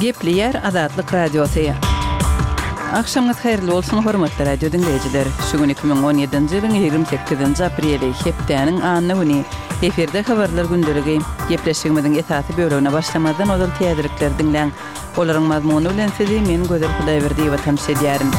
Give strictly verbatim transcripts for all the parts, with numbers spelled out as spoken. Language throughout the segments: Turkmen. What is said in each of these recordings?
Gepleýär Azatlyk Radiosy. Agşamyňyz haýyrly bolsun, hormatly radio diňleýjiler. Şu gün iki müň on ýedinji ýylyň ýigrimi sekizinji apreli, hepdäniň anna güni. Efirde habarlar gündeligi. Gepleşigimiziň esasy bölegine başlamazdan ozal täzelikleri diňläň. Olaryň mazmuny bilen sizi men Gözel Hudaýberdiýewa tanyş edýärin.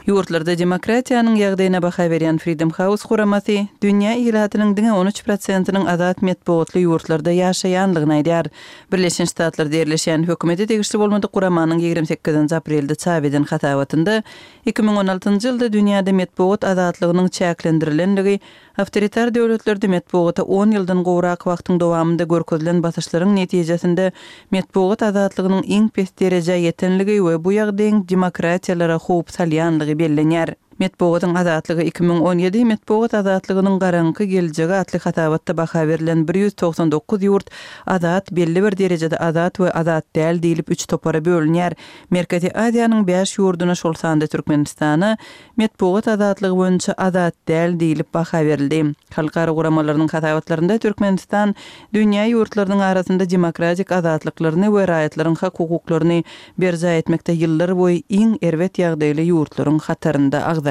Ýurtlarda demokratiýanyň ýagdaýyna baha berýän Freedom House guramasy dünýä ilatynyň diňe on üç prosentiniň azat metbugatly ýurtlarda ýaşaýanlygyny aýdýar. Birleşen Ştatlarda ýerleşýän hökümete degişli bolmadyk guramanyň ýigrimi sekizinji aprelde çap eden hasabatynda iki müň on altynjy ýylda dünýäde metbugat azatlygynyň çäklendirilenligi, awtoritar döwletlerde metbugata on ýyldan gowrak wagtyň dowamynda görkezilen basyşlaryň netijesinde metbugat azatlygynyň iň pes derejä ýetenligi we bu ýagdaýyň demokratiýalara howp salýanlygy bellenýär. Metbugatyň azatlygy iki müň on ýedi Metbugat azatlygynyň garaňky geljegi atly hasabatda baha berlen bir ýüz togsan dokuz ýurt azat, belli bir derejede azat we azat däl diýlip üç topara bölünýär. Merkezi Aziýanyň bäş ýurduna, şol sanda Türkmenistana metbugat azatlygy boýunça azat däl diýlip baha berildi. Halkara guramalarynyň hasabatlarynda Türkmenistan dünýä ýurtlarynyň arasynda demokratik azatlyklaryny we raýatlaryň hak-hukuklaryny berjaý etmekde ýyllar boýy iň erbet ýagdaýly ýurtlaryň hatarynda agzalýar.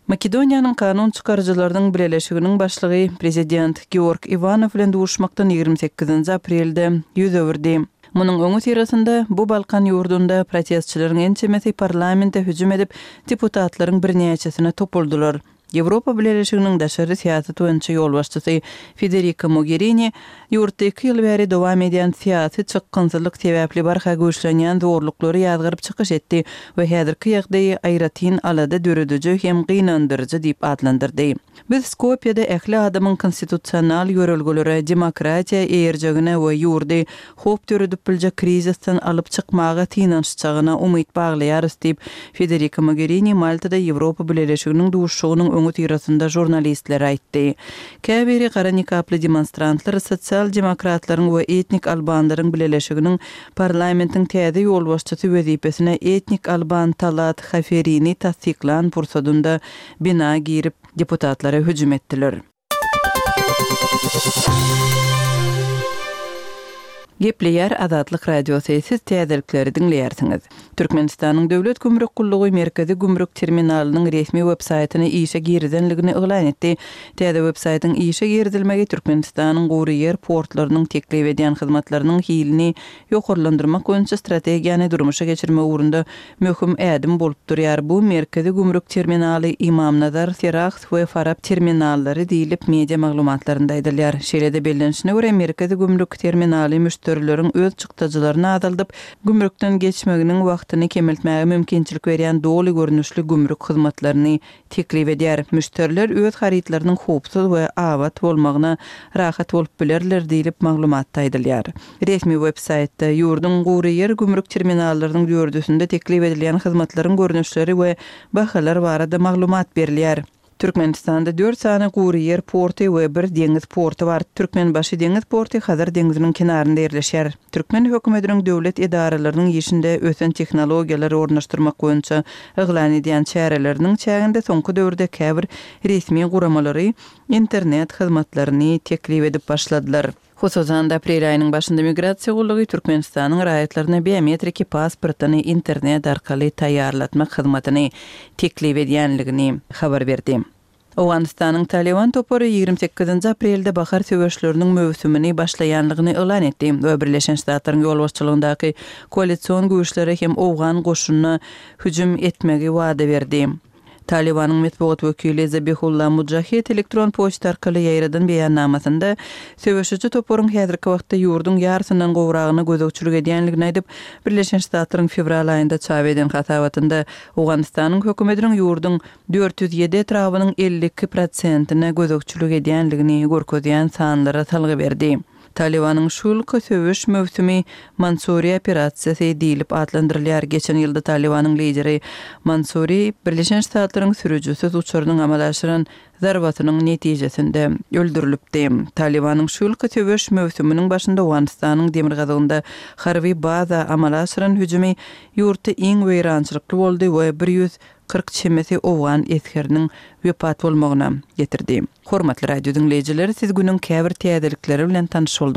Makedoniýanyň kanun çykaryjylarynyň bileleşiginiň başlygy prezident Georg Iwanow bilen duşmakdan ýigrimi sekizinji aprelde ýüz öwürdi. Munuň öňi syrasynda bu Balkan ýurdunda protestçileriň ençemesi parlamente hüjüm edip, deputatlaryň birnäçesine topuldylar. Ýewropa Bileleşiginiň daşary syýasat boýunça ýolbaşçysy Federika Mogherini ýurtda iki ýyl bäri dowam edýän syýasy çykgynsyzlyk sebäpli barha güýçlenýän zorluklary ýazgaryp çykyş etdi we häzirki ýagdaýy aýratyn alada dörediji hem gynandyryjy diýip atlandyrdy. Biz Skopýada ähli adamyň konstitusional ýörelgelere, demokratiýa eýerjegine we ýurdy howp döredip biljek krizisden alyp çykmaga synanyşjagyna umyt baglaýarys diýip, Federika Mogherini Maltada Ýewropa Bileleşiginiň duşuşygynyň öňi syrasynda žurnalistlere aýtdy. Käbiri gara nikaply demonstrantlar sosial demokratlaryň we etnik albanlaryň bileleşiginiň parlamentiň täze ýolbaşçysy wezipesine etnik alban Talat Haferini tassyklan pursadynda bina girip deputatlara hüjüm etdiler. Gepleýär Azatlyk Radiosy, siz täzelikleri diňleýärsiňiz. Türkmenistanyň Döwlet gümrük gullugy Merkezi gümrük terminalynyň resmi web-saýtyny işe girizenligini yglan etdi. Täze web-saýtyň işe girizilmegi Türkmenistanyň gury ýer portlarynyň teklip edýän hyzmatlarynyň hilini ýokarlandyrmak boýunça strategiýany durmuşa geçirmek ugrunda möhüm ädim bolup durýar. Bu Merkezi gümrük terminaly Imamnazar, Serahs we Farap terminallary diýlip media maglumatlarynda aýdylýar. Şeýle-de bellenişine görä Merkezi gümrük terminaly müşderileriň öz çykdajylaryny azaldyp, gümrükden geçmeginiň wagtyny kemeltmäge mümkinçilik berýän doly görnüşli gümrük hyzmatlaryny teklip edýär. Müşderiler öz harytlarynyň howpsuz we abat bolmagyna rahat bolup bilerler diýlip maglumatda aýdylýar. Resmi web-saýtda ýurduň gury ýer gümrük terminallarynyň dördüsinde teklip edilýän hyzmatlaryň görnüşleri we bahalar barada maglumat berilýär. Türkmenistanda dört sany gury ýer porty we bir deňiz porty bar. Türkmenbaşy deňiz porty Hazar deňziniň kenarynda ýerleşýär. Türkmen hökümetiniň döwlet edaralarynyň işinde ösen tehnologiýalary ornaşdyrmak boýunça yglan edýän çäreleriniň çäginde soňky döwürde käbir resmi guramalary internet hyzmatlaryny teklip edip başladylar. Hususan-da aprel aýynyň başynda migrasiýa gullugy Türkmenistanyň raýatlaryna biometriki pasportyny internet arkaly taýýarlatmak hyzmatyny teklip edýänligini habar berdi. Owganystanyň Taliban topary ýigrimi sekizinji aprelde bahar söweşleriniň möwsümini başlaýanlygyny yglan etdi we Birleşen Ştatlaryň ýolbaşçylygyndaky koalision güýçlere hem owgan goşunyna hüjüm etmegi wada berdi. Talibanyň metbugat wekili Zabihullah Mujahid elektron poçta arkaly ýaýradan beýannamasynda söweşiji toparyň häzirki wagtda ýurduň ýarysyndan gowragyna gözegçilik edýänligini aýdyp, Birleşen Ştatlaryň fewral aýynda çap eden hasabatynda Owganystanyň hökümetiniň ýurduň dört ýüz ýedi etrabynyň elli iki prosentine gözegçilik edýänligini görkezýän sanlara salgy berdi. Talibanyň şu ýylky söweş möwsümi Mansuri operasiýasy diýlip atlandyrylýar. Geçen ýylda Talibanyň lideri Mansuri Birleşen Ştatlaryň sürüjisiz uçarynyň amala aşyran zarbasynyň netijesinde öldürilipdi. Talibanyň şu ýylky söweş möwsüminiň başynda Owganystanyň demirgazygynda harby baza amala aşyran hüjümi ýurtda iň weýrançylykly boldy we bir ýüz kyrk çemesi owgan esgeriniň wepat bolmagyna getirdi. Hormatly radio diňleýjiler, siz günüň käbir täzelikleri bilen tanyş bolduňyz.